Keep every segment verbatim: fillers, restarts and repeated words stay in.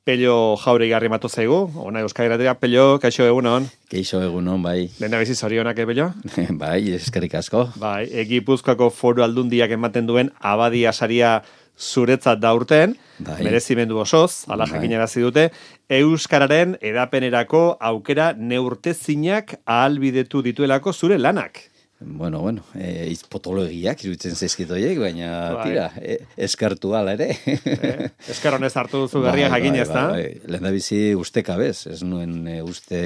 Pello Jaure garri matu zaigu, ona Euskal Irratia, Pello, kaixo egunon. Kaixo egunon, bai. Lehena bizi zorionak, eh, Pello? Bai, eskerrik asko. Bai, Gipuzkoako Foru Aldundiak ematen duen abadia saria zuretzat da urten, bai. Merezimendu osoz, ala bai. Jakinarazi dute, euskararen edapenerako aukera neurtezinak ahalbidetu dituelako zure lanak. Bueno, bueno, e, izpotologiak iruditzen zaizkitoiek, baina bai. Tira, e, eskartu ala ere. E, eskar honez hartu duzu berria bai, jakin ez da? Bai, bai. Lehen da bizi uste kabez, ez nuen e, uste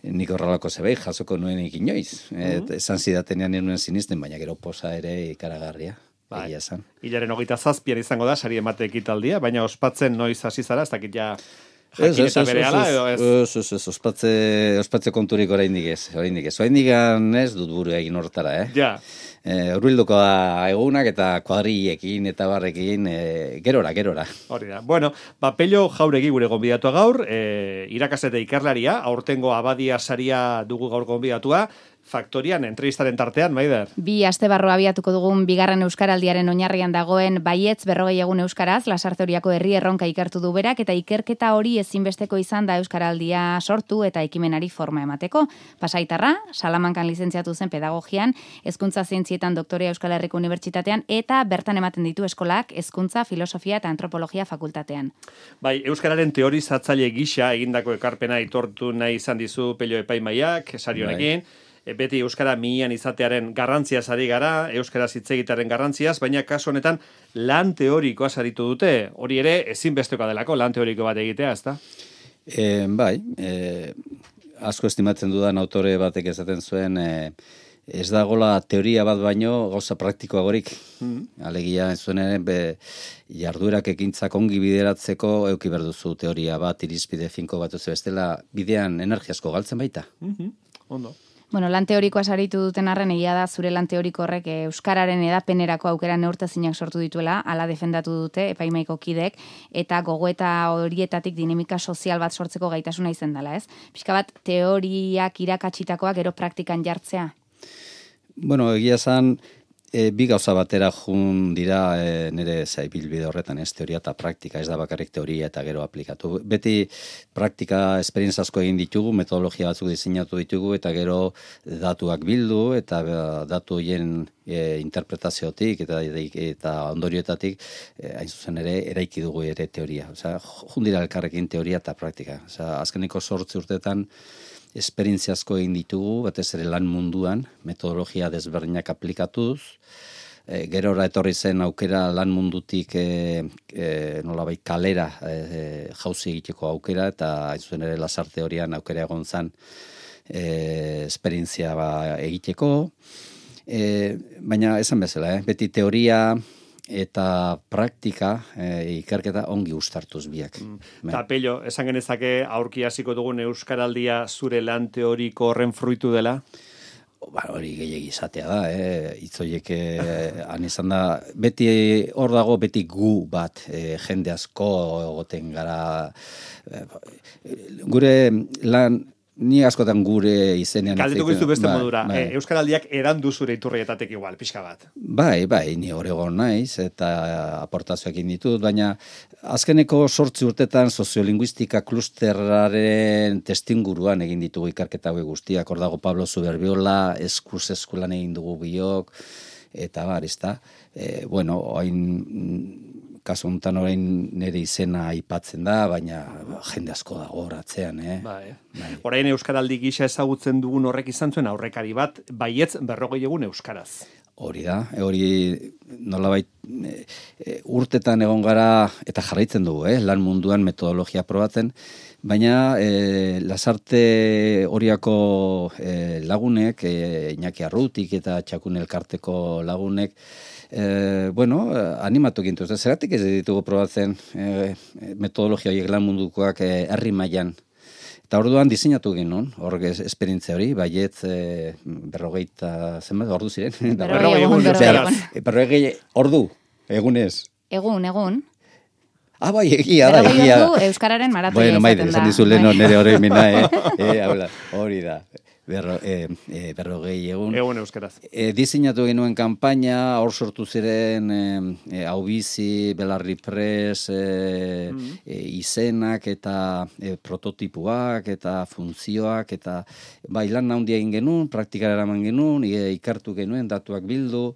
nik horrelako zebei, jasoko nuen ikinoiz. Mm-hmm. Et, esan zidatenean nuen sinisten, baina gero posa ere ikaragarria. Bai. Hilaren hogeita zazpian izango da, sari emate ekitaldia, baina ospatzen noiz hasi zara, ez dakit ja... Ez, ez, ez, ez, ez, ez, ospatze, ospatze konturik oraindik ez, oraindik ez. Oraindik ez dut buru egin hortara, eh? Ja. E, Urbilduko egunak eta kuadrillekin eta barrekin, e, gerora, gerora. Hori da. Bueno, ba, Pello Jauregi gure gonbidatua gaur, e, irakasle ikerlaria, aurtengo abadia saria dugu gaur gonbidatua, Faktorian, entrevistaren tartean, Maider. Bi aste barru abiatuko dugun bigarren euskaraldiaren oinarrian dagoen baietz berrogei egun euskaraz, Lasarte Oriako herri erronka ikertu du berak, eta ikerketa hori ezinbesteko izan da euskaraldia sortu eta ekimenari forma emateko. Pasaitarra, Salamankan lizentziatu zen pedagogian, hezkuntza zientzietan doktorea Euskal Herriko Unibertsitatean, eta bertan ematen ditu eskolak hezkuntza, filosofia eta antropologia fakultatean. Bai, euskararen teorizatzaile gisa egindako ekarpena aitortu nahi izan dizu Pello epaimaiak, sari honekin. Bai. Beti euskara mihian izatearen garrantziaz ari gara, euskara hitzegitearen garrantziaz, baina kasu honetan lan teorikoa saritu dute. Hori ere ezinbestekoa delako lan teoriko bat egitea, ezta? E, bai, e, asko estimatzen dudan autore batek esaten zuen, e, ez dagola teoria bat baino gauza praktikoagorik. Mm. Alegia ez zuen ere, be, jarduerak ekintzak ongi bideratzeko euki berduzu teoria bat, irizpide finko bat duzu bestela, bidean energiasko galtzen baita. Mm-hmm. Ondo. Bueno, lan teorikoa saritu duten arren egia da zure lan teoriko horrek euskararen edapenerako aukera neurtezinak sortu dituela, hala defendatu dute epaimaiko kidek, eta gogoeta horietatik dinamika sozial bat sortzeko gaitasuna izan dela, ez? Pixka bat teoriak irakatsitakoak gero praktikan jartzea? Bueno, egia zan, e, bi gauza batera jun dira e, nire zaibilbide horretan, ez, teoria eta praktika, ez da bakarrik teoria eta gero aplikatu. Beti praktika esperientzazko egin ditugu, metodologia batzuk diseinatu ditugu, eta gero datuak bildu, eta datu horien e, interpretaziotik eta, eta ondorioetatik, e, hain zuzen ere, eraiki dugu ere teoria. Osea, jun dira elkarrekin teoria eta praktika. Osea, azkeniko zortzi urtetan, esperientziazko egin ditugu, batez ere lan munduan, metodologia desberdinak aplikatuz, e, gerora etorri zen aukera lan mundutik e, e, nolabait kalera e, jauzi egiteko aukera, eta hain zuen ere Lasarte Orian aukera egon zen e, esperientzia ba, egiteko, e, baina esan bezala, eh? Beti teoria eta praktika e, ikerketa ongi uztartuz biak. Mm. Ta Pello, esan genezake aurki hasiko dugun euskaraldia zure lan teoriko horren fruitu dela? Ba, hori gehiagi izatea da, eh? Itzoiek eh, han izan da, beti hor dago beti gu bat, eh, jende asko egoten gara, eh, gure lan, ni askotan gure izenean... Galdetuko izu beste ba, modura, bai. E, euskaraldiak edan du zure iturrietatek igual, pixka bat. Bai, bai, ni oregon naiz, eta aportazioekin ditut, baina azkeneko sortzi urtetan soziolinguistika klusterraren testinguruan egin ditugu ikerketa hauek guztiak, hor dago Pablo Zuberbiola, eskuz eskulan egin dugu biok, eta bar, ezta. E, bueno, hain... Kasu honetan orain nire izena aipatzen da, baina jende asko dago horatzean, eh? Bai. Bai. Orain euskaraldi gisa ezagutzen dugun horrek izan zuen aurrekari bat, baietz berrogei egun euskaraz. Hori da, hori nolabait e, e, urtetan egon gara eta jarraitzen dugu, eh? Lan munduan metodologia probatzen, baina e, Lasarte Oriako e, lagunek, e, Iñaki Arrutik eta Txakun Elkarteko lagunek, E, bueno, animatu gintu, zeratik ez ditugu probatzen e, metodologia horiek lan mundukoak e, herri mailan. Eta orduan diseinatu ginen, hor esperientzia hori, baietz e, berrogeita, zenbat, ordu ziren? Berrogei egun, berrogei egun. Berrogei ordu, egunez. Egun, egun. Ah, bai, egia da, egia da. Euskararen maratoia bueno, izaten maide, da. Bueno, maide, esan dizu lehen nire hori mina, eh? eh hori da. berro, e, e, berrogei egun. Egun euskaraz. E, diseinatu genuen kanpaina, hor sortu ziren e, e, hau bizi, belarri pres, e, mm. e, izenak eta e, prototipuak eta funtzioak eta bai lan handia egin genuen, praktikara eraman genuen, e, ikartu genuen, datuak bildu,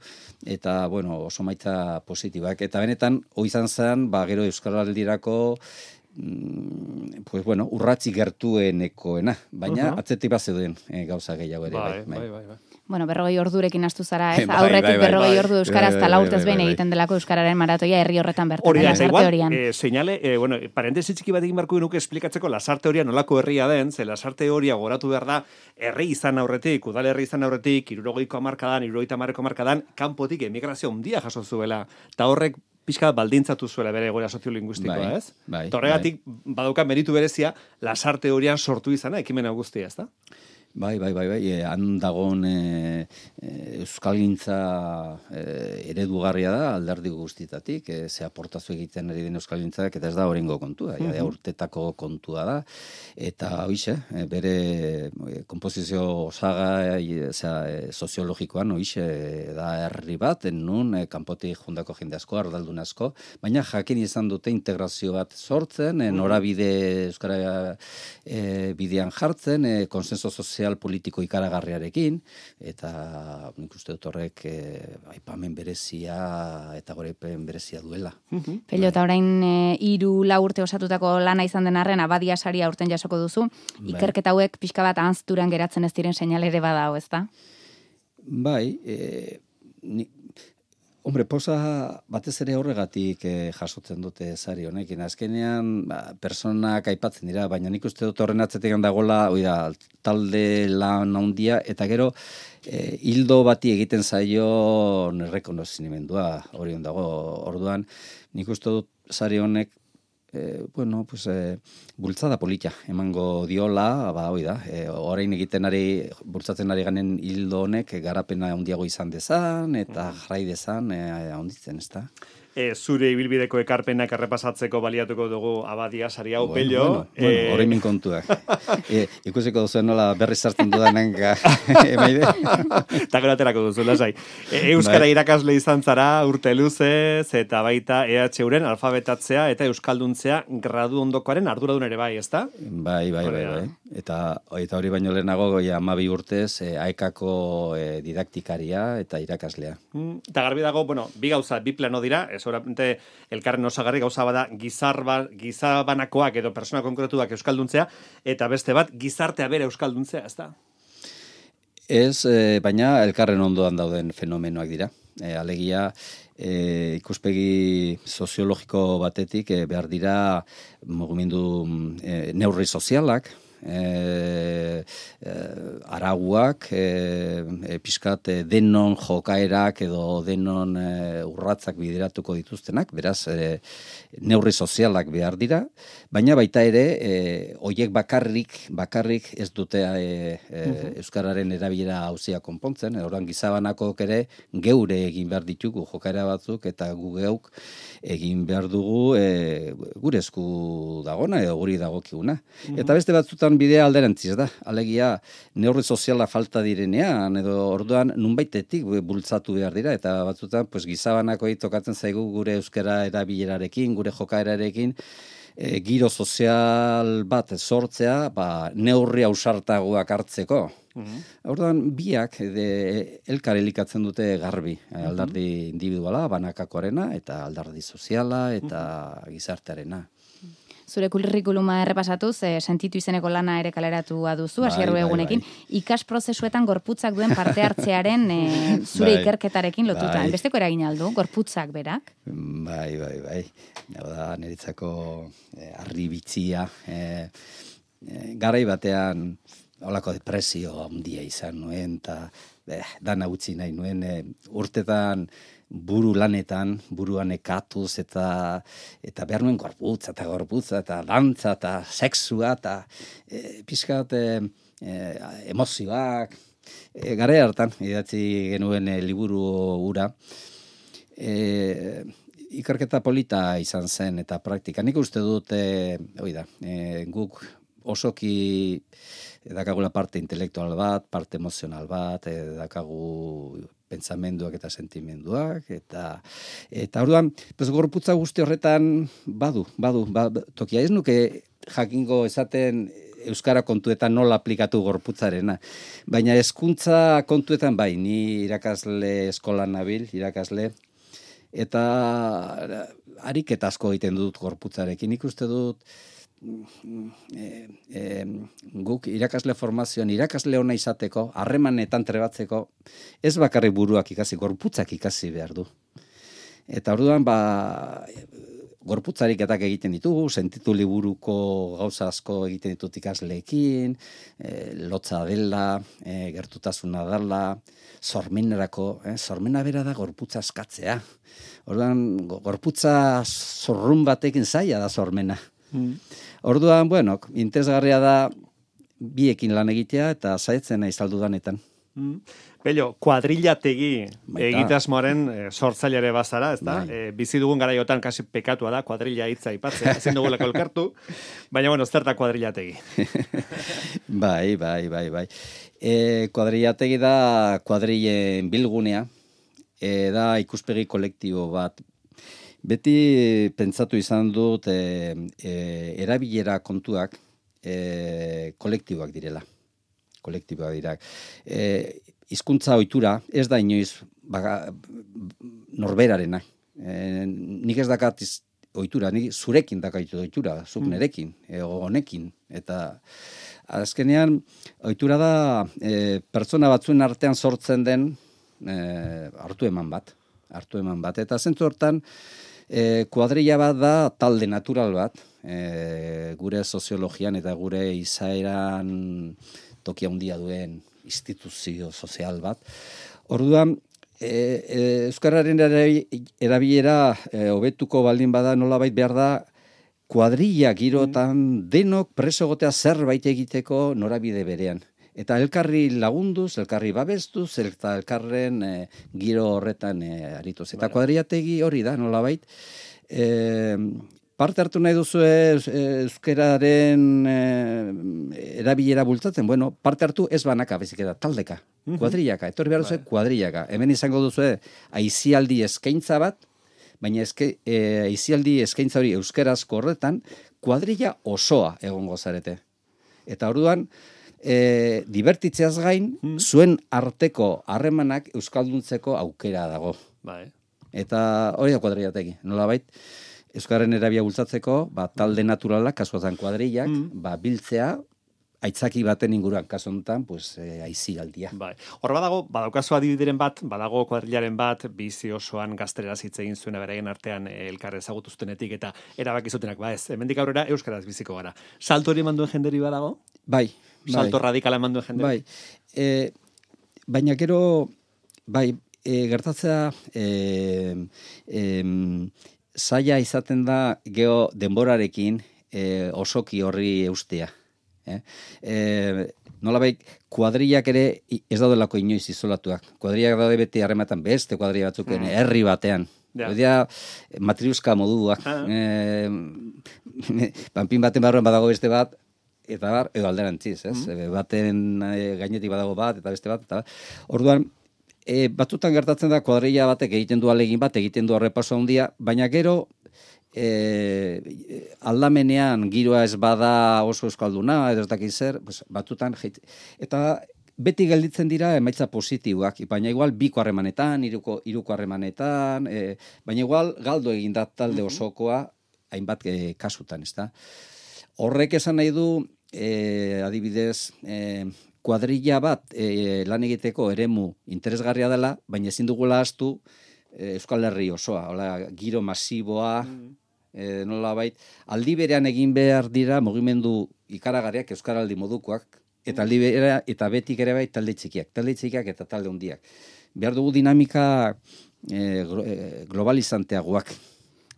eta bueno, oso maitza positibak. Eta benetan, hoi izan zen, ba, gero Euskaraldirako pues bueno, urratzi gertuenekoena, baina uh-huh. atzetik bat zeuden e, gauza gehiago ere. Bai, bai, bai, bai. Bueno, berrogei ordurekin astu zara, ez? Bai, Aurretik bai, bai, berrogei bai, ordu euskaraz bai, eta bai, laurtez bai, behin bai, bai. egiten delako euskararen maratoia herri horretan bertan. Hori da, igual, horian. eh, seinale, eh, bueno, parentesi txiki bat egin barko nuke esplikatzeko lasarte horia nolako herria den, ze lasarte horia goratu behar da, herri izan aurretik, udal herri izan aurretik, hirurogeiko hamarkadan, hirurogeita hamareko hamarkadan, kanpotik emigrazio handia jaso zuela, eta horrek pixka baldintzatu zuela bere egoera soziolinguistikoa, bai, ez? Bai, Torregatik, bai. badauka meritu berezia, lasarte horian sortu izana, ekimena guztia, ez da? Bai, bai, bai, bai, e, han dagoen e, e, euskalgintza e, eredugarria da alderdi guztietatik, e, ze aportazio egiten ari den euskalgintzak, eta ez da orengo kontua, mm-hmm. ja, urtetako kontua da, eta hoize, e, bere e, komposizio osaga e, e, soziologikoan hoize da herri bat, nun e, kanpotik jundako jende asko, ardaldun asko, baina jakin izan dute integrazio bat sortzen, e, norabide euskara e, bidean jartzen, e, konsenso sozial politiko ikaragarriarekin, eta nik uste dut horrek e, aipamen berezia eta goraipen berezia duela. Uh-huh. Pello, eta orain e, hiru lau urte osatutako lana izan den arren, abadia saria urten jasoko duzu, bai. Ikerketa hauek pixka bat ahazturan geratzen ez diren seinale ere badao, ezta? Bai, e, ni, hombre, posa batez ere horregatik eh, jasotzen dute sari honekin. Azkenean, ba, personak aipatzen dira, baina nik uste dut horren atzetik handagola, oida, talde lan handia, eta gero, eh, hildo bati egiten zaio errekonozimendua hori ondago. Orduan, nik uste dut sari honek, E, bueno, pues, e, bultzada polita emango diola, ba, hoi da, e, orain egiten ari, bultzatzen ari ganen hildo honek, garapena handiago izan dezan, eta jarrai dezan, e, handitzen, ez da? E, zure ibilbideko ekarpenak errepasatzeko baliatuko dugu abadia sari hau, bueno, Pello. Bueno, bueno, e... horrein min kontuak. e, ikusiko duzu nola berri sartzen dudanen emaide. Eta gero aterako duzu, lasai. E, Euskara bai. Irakasle izan zara, urte luzez, eta baita E H Uren alfabetatzea eta euskalduntzea gradu ondokoaren arduradun ere bai, ezta? Bai, bai, bai, bai. Eta, eta hori baino lehenago, ja, amabi urtez, e, aekako e, didaktikaria eta irakaslea. Mm, eta garbi dago, bueno, bi gauza, bi plano dira, ez seguramente elkarren osagarri gauza bada gizarba, gizabanakoak edo persona konkretuak euskalduntzea, eta beste bat gizartea bere euskalduntzea, ez da? Ez, e, baina elkarren ondoan dauden fenomenoak dira. E, alegia, e, ikuspegi soziologiko batetik e, behar dira mugimendu e, neurri sozialak, E, e, arauak e, e, pixkat e, denon jokaerak edo denon e, urratzak bideratuko dituztenak, beraz e, neurri sozialak behar dira, baina baita ere e, oiek bakarrik bakarrik ez dute e, e, uh-huh. euskararen erabilera hauzia konpontzen, orain gizabanakok ere geure egin behar ditugu jokaera batzuk eta gu geuk egin behar dugu e, gure esku dagona edo guri dagokiguna. Uh-huh. Eta beste batzutan bidea alderantziz da. Alegia, neurri soziala falta direnean, edo orduan nunbaitetik bultzatu behar dira, eta batzutan pues, gizabanako tokatzen zaigu gure euskara erabilerarekin, gure jokaerarekin, e, giro sozial bat sortzea, ba, neurri ausartagoak hartzeko. Uh-huh. Orduan, biak de, elkar elikatzen dute garbi, uh-huh. aldardi individuala, banakakoarena, eta aldardi soziala, eta uh-huh. gizartearena. Zure kurrikuluma errepasatuz, e, sentitu izeneko lana ere kaleratua duzu, hasierro bai, egunekin, bai, bai. Ikas prozesuetan gorputzak duen parte hartzearen e, zure bai, ikerketarekin lotuta. Bai. Besteko eragin aldu, gorputzak berak? Bai, bai, bai. Da, niretzako e, arri bitzia. E, e, garai batean, holako depresio handia izan nuen, eta eh, dana utzi nahi nuen, e, urtetan, buru lanetan, buruan ekatuz, eta eta behar nuen gorputza, eta gorputza, eta dantza, eta sexua, eta e, pixkat e, e, emozioak. E, Gare hartan, idatzi genuen e, liburu ura, e, ikerketa polita izan zen, eta praktika. Nik uste dut, e, oida, e, guk osoki dakagula parte intelektual bat, parte emozional bat, e, dakagu pentsamenduak eta sentimenduak, eta eta orduan, pues, gorputza guzti horretan badu, badu, ba, tokia ez nuke jakingo esaten euskara kontuetan nola aplikatu gorputzarena. Baina hezkuntza kontuetan bai, ni irakasle eskolan nabil, irakasle, eta ariketa asko egiten dut gorputzarekin. Nik uste dut e, e, guk irakasle formazioan, irakasle ona izateko, harremanetan trebatzeko, ez bakarrik buruak ikasi, gorputzak ikasi behar du. Eta orduan, ba, gorputzariketak egiten ditugu, sentitu liburuko gauza asko egiten ditut ikasleekin, e, lotza dela, e, gertutasuna dela, sormenerako, eh, sormena bera da gorputza askatzea. Orduan, gorputza zorrun batekin zaila da sormena. Mm. Orduan, bueno, interesgarria da biekin lan egitea eta saiatzen naiz aldudanetan. Mm. Bello, kuadrillategi egitasmoaren e, sortzailere bazara, ezta? E, bizi dugun garaiotan kasi pekatua da kuadrilla hitza aipatzea, ezin dugulako elkartu, baina bueno, zer da kuadrillategi? bai, bai, bai, bai. E, kuadrillategi da kuadrillen bilgunea, e, da ikuspegi kolektibo bat. Beti pentsatu izan dut e, e, erabilera kontuak e, kolektiboak direla. Kolektiboak dira. E, hizkuntza ohitura ez da inoiz baga, norberarena. E, nik ez dakat ohitura, nik zurekin dakaitu ohitura, zuk nerekin, e, honekin. Eta azkenean ohitura da e, pertsona batzuen artean sortzen den e, hartu eman bat. Hartu eman bat. Eta zentzu hortan, e, kuadrilla bat da talde natural bat, e, gure soziologian eta gure izaeran tokia handia duen instituzio sozial bat. Orduan, e, e, euskararen erabilera e, hobetuko baldin bada nolabait behar da kuadrilla girotan denok preso egotea zerbait egiteko norabide berean. Eta elkarri lagunduz, elkarri babestuz, eta elkarren e, giro horretan e, arituz. Eta kuadrillategi hori da nolabait. E, Parte hartu nahi duzu euskararen e, erabilera bultzatzen, bueno, parte hartu ez banaka, bezik eta taldeka, kuadrillaka, etorri behar duzu kuadrillaka. Hemen izango duzu aizialdi eskaintza bat, baina eske, e, aizialdi eskaintza hori euskarazko horretan, kuadrilla osoa egongo zarete. Eta orduan, e, divertitzeaz gain, mm. zuen arteko harremanak euskalduntzeko aukera dago. Bai. Eta hori da kuadrillategi, nolabait, euskararen erabia bultzatzeko, ba, talde naturalak, kasuatan kuadrillak, mm. ba, biltzea, aitzaki baten inguruan, kasu honetan, pues, e, aizialdia. Bai. Hor badago, badaukazu adibideren bat, badago kuadrillaren bat, bizi osoan gazteraz hitz egin zuena beraien artean elkar ezagutu zutenetik eta erabaki zutenak, ba ez, hemendik aurrera euskaraz biziko gara. Salto hori manduen jenderi badago? Bai. Salto bai. radikala manduen jenderi? Bai. E, baina gero, bai, e, gertatzea, e, e, zaila izaten da geho denborarekin e, osoki horri eustea. Eh? E, nolabait, kuadrillak ere ez daudelako inoiz izolatuak. Kuadrillak daude beti harrematan beste kuadrilla batzuk mm. herri batean. Ja. Odea, matriuska moduak. Ah. E, panpin baten barruan badago beste bat, eta bar, edo alderantziz, ez? Mm. Baten e, gainetik badago bat, eta beste bat, eta orduan, E, batzutan gertatzen da kuadrilla batek egiten du alegin bat, egiten du arrepaso handia, baina gero e, aldamenean giroa ez bada oso euskalduna, edo ez dakit zer, pues, batzutan, eta beti gelditzen dira emaitza positiboak, baina igual biko harremanetan, hiruko hiruko harremanetan, e, baina igual galdo egin da talde osokoa, hainbat e, kasutan, ezta. Horrek esan nahi du, e, adibidez, e, kuadrilla bat e, lan egiteko eremu interesgarria dela, baina ezin dugula ahaztu e, Euskal Herri osoa, hola, giro masiboa, mm. e, nolabait, aldi berean egin behar dira mugimendu ikaragarriak euskaraldi modukoak, eta aldi berean, eta betik ere bai talde txikiak, talde txikiak eta talde handiak. Behar dugu dinamika e, globalizanteagoak.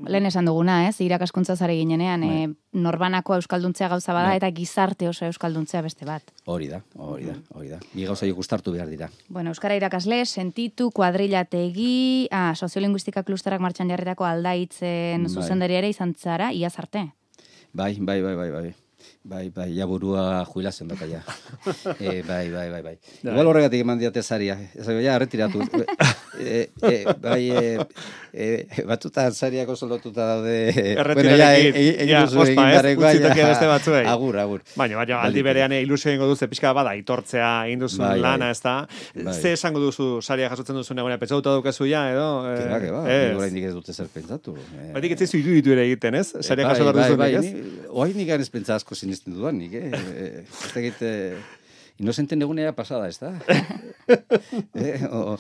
Lehen esan duguna, ez? Irakaskuntza zare ginenean, e, norbanako euskalduntzea gauza bada, eta gizarte oso euskalduntzea beste bat. Hori da, hori da, hori da. Bi gauza jo gustartu behar dira. Bueno, euskara irakasle, sentitu, kuadrillategi, ah, soziolinguistika klusterak martxan jarritako aldaitzen bai. Zuzendari ere izan zara, iaz arte. Bai, bai, bai, bai, bai. Bai, bai, ja burua jubilazen baka ja. e, bai, bai, bai, bai. Igual horregatik eman diate saria. Ez ja, retiratu. e, e, bai, e, e, batuta sariako solotuta daude. Bueno, ja, egin duzu egin dareko. Beste batzuei. Agur, agur. Baina, baina, aldi berean ilusio egingo duzu, pixka bada, aitortzea egin duzun bai, lana, bai. Ez da. Bai. Ze esango duzu saria jasotzen duzun egonean, pentsatuta dukazu ja, edo? Keba, keba, nire indik ez dute zer pentsatu. Batik ez zizu idu ere egiten, ez? Saria jaso behar duzunik, ez? Oain nik ganez pentsa asko sinisten dudan, nik, eh? Ez da egite... Inosenten egunea pasada, ez da? eh, o,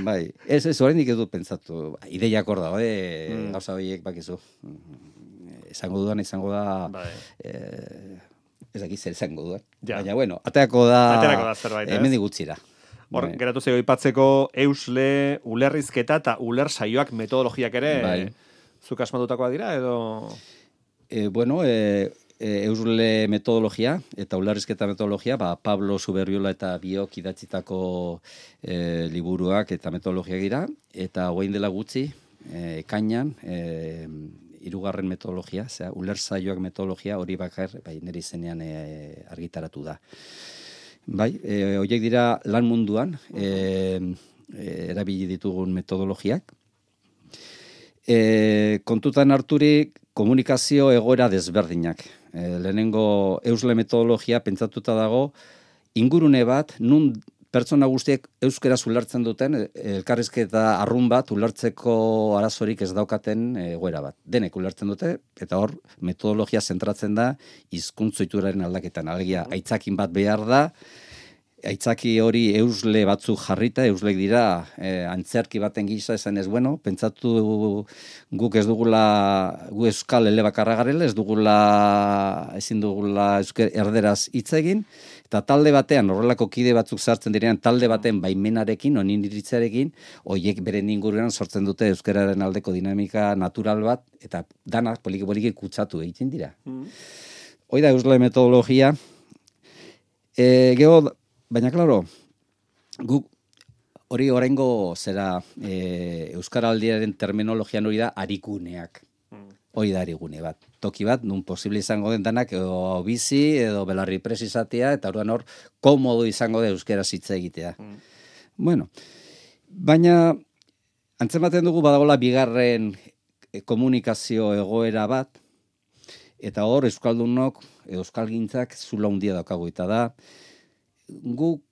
bai, ez, ez, orain nik edu pentsatu. Ideiak hor da, eh? Mm. Gauza horiek bakizu. Esango dudan, izango da... Bai. Eh, ez dakit zer izango dudan. Ja. Baina, bueno, ateako da... Ateako da zerbait, ez? Hemen digutzira. Hor, bai. Geratu zego ipatzeko eusle, ulerrizketa eta uler saioak metodologiak ere... Bai. Zuk asmatutakoa dira, edo... E, bueno, e, e, eusle metodologia eta ulerrizketa metodologia, ba, Pablo Zuberriola eta biok idatzitako e, liburuak eta metodologiak dira, eta hogein dela gutxi, e, ekainan, e, hirugarren metodologia, zera, uler saioak metodologia hori bakar, bai, nire izenean e, argitaratu da. Bai, e, horiek dira lan munduan, e, e, erabili ditugun metodologiak. E, kontutan harturik komunikazio egoera desberdinak. E, lehenengo eusle metodologia pentsatuta dago ingurune bat, nun pertsona guztiek euskaraz ulertzen duten, elkarrizketa arrun bat ulertzeko arazorik ez daukaten egoera bat. Denek ulertzen dute, eta hor metodologia zentratzen da hizkuntzoituraren aldaketan. Alegia, aitzakin bat behar da, aitzaki hori eusle batzuk jarrita, euslek dira, e, antzerki baten gisa esan ez, bueno, pentsatu guk ez dugula, gu euskal elebakarra garela, ez dugula, ezin dugula eusker erderaz hitz egin, eta talde batean, horrelako kide batzuk sartzen direan, talde baten baimenarekin, onin iritzarekin, horiek beren inguruan sortzen dute euskararen aldeko dinamika natural bat, eta dana poliki-poliki kutsatu egiten dira. Mm. Hoi da eusle metodologia, e, geho, baina, klaro, guk hori oraingo zera e, euskaraldiaren terminologian hori da arikuneak. Mm. Hori da arigune bat. Toki bat, nun posible izango den danak edo bizi, edo belarri presizatea, eta orduan hor, komodo izango da euskaraz hitz egitea. Mm. Bueno, baina antzematen dugu badagola bigarren komunikazio egoera bat, eta hor euskaldunok, euskalgintzak zula handia daukagu, eta da, guk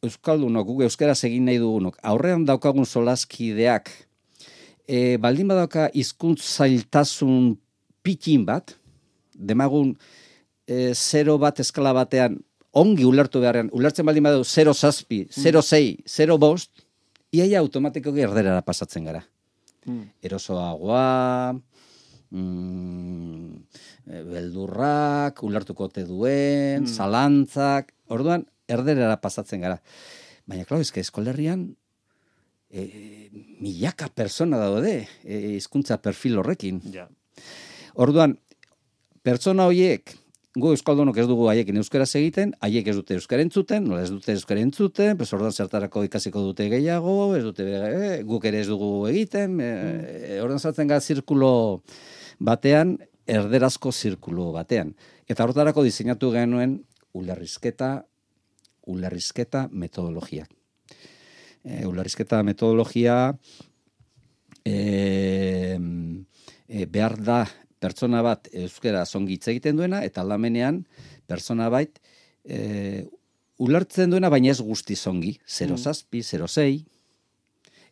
euskaldunok, guk euskaraz egin nahi dugunok, aurrean daukagun solaskideak, e, baldin badauka hizkuntz zailtasun pikin bat, demagun e, zero bat eskala batean, ongi ulertu beharrean, ulertzen baldin badau zero zazpi, zero zei, zero bost, iaia automatikoki erderara pasatzen gara. Mm. Erosoagoa, mm, beldurrak, ulertuko te duen, mm. zalantzak, orduan, erderara pasatzen gara. Baina, klau, ezke eskolerrian e, milaka persona daude hizkuntza e, perfil horrekin. Ja. Orduan, pertsona horiek, gu euskaldunok ez dugu haiekin euskaraz egiten, haiek ez dute euskara entzuten, nola ez dute euskara entzuten, pues orduan zertarako ikasiko dute gehiago, ez dute e, guk ere ez dugu egiten, e, e, orduan sartzen gara zirkulo batean, erderazko zirkulo batean. Eta horretarako diseinatu genuen ulerrizketa, ulerrizketa metodologia. E, ulerrizketa metodologia e, e, behar da pertsona bat euskara zongi hitz egiten duena, eta aldamenean pertsona bat e, ulertzen duena, baina ez guzti zongi. Zero zazpi, zero zei.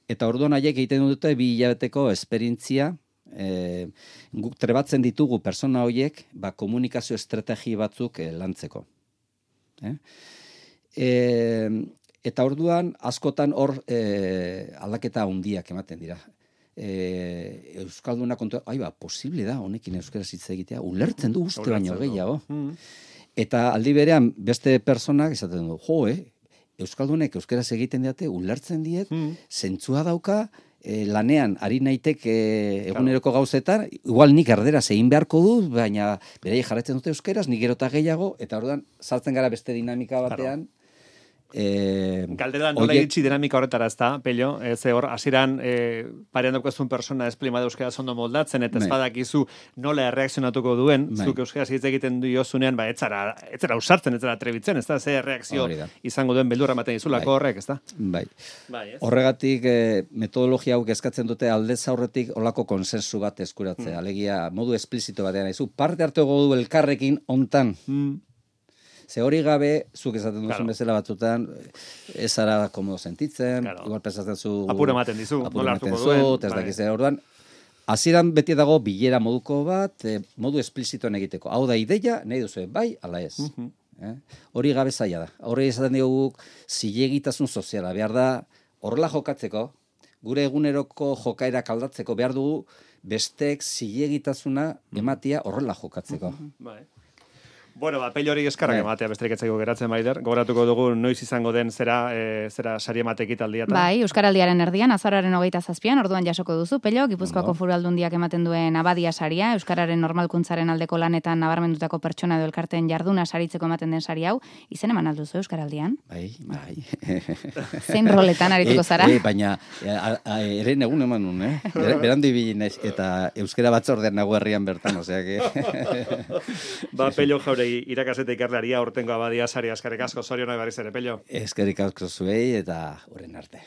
Eta orduan haiek egiten dute bi hilabeteko esperientzia, e, guk trebatzen ditugu pertsona horiek, ba, komunikazio estrategi batzuk e, lantzeko. Eh? E, eta orduan askotan hor e, aldaketa handiak ematen dira. E, Euskalduna kontu, ai ba, posible da honekin euskaraz hitz egitea, ulertzen du uste baino gehiago. Mm. Eta aldi berean beste personak esaten du, jo, eh, Euskaldunek euskaraz egiten diate, ulertzen diet, mm. zentzua dauka, e, lanean ari naitek e, eguneroko gauzetan, igual nik erderaz egin beharko dut, baina beraiek jarraitzen dute euskaraz, nik gerota gehiago, eta orduan sartzen gara beste dinamika batean, Eh, Galdera nola oiek... iritsi dinamika horretara ez da, Pello, ez hor, hasieran e, parean daukezun persona esplima da euskara ondo moldatzen, eta ez badakizu nola erreakzionatuko duen, Mai. Zuk euskaraz hitz egiten du jozunean, ba, etzara, etzara usartzen, etzara trebitzen, ez da, ze reakzio izango duen beldurra ematen izulako bai. Horrek, ez da? Bai. bai Horregatik, eh, metodologia hau eskatzen dute aldez aurretik olako konsensu bat eskuratzea, mm. alegia modu esplizito batean, izu, parte hartuko du elkarrekin ontan, mm. Ze hori gabe, zuk esaten duzun claro. bezala batzutan, ez ara komodo sentitzen, claro. igual pensatzen zu... Apura ematen dizu, nola hartuko duen. Ez dakizera orduan, hasieran beti dago bilera moduko bat, eh, modu esplizitoan egiteko. Hau da ideia, nahi duzu, bai, ala ez. Uh-huh. eh? Hori gabe zaila da. Hori esaten dugu zilegitasun soziala. Behar da, horrela jokatzeko, gure eguneroko jokaera kaldatzeko, behar dugu besteek zilegitasuna ematia horrela jokatzeko. Uh-huh. Bai. Bueno, ba, Pello hori eskarrak ematea besterik etzaiko geratzen Maider. Gogoratuko dugu noiz izango den zera, e, zera sari emate ekitaldia. Bai, Euskaraldiaren erdian, azaroaren hogeita zazpian, orduan jasoko duzu, Pello, Gipuzkoako Foru Aldundiak ematen duen abadia saria, Euskararen normalkuntzaren aldeko lanetan nabarmendutako pertsona edo elkarteen jarduna saritzeko ematen den sari hau, izen eman alduzu Euskaraldian? Bai, bai. Zein roletan arituko zara? E, e, baina, eren egun eman nun, eh? Berandi bilin eta Euskara batzordean nago herrian bertan, osea que... Ba, Pello jaure irakasete ikerlaria urtengo abadia sari askarrik asko, zorionak berriz ere, Pello. Eskerrik asko zuei eta horren arte.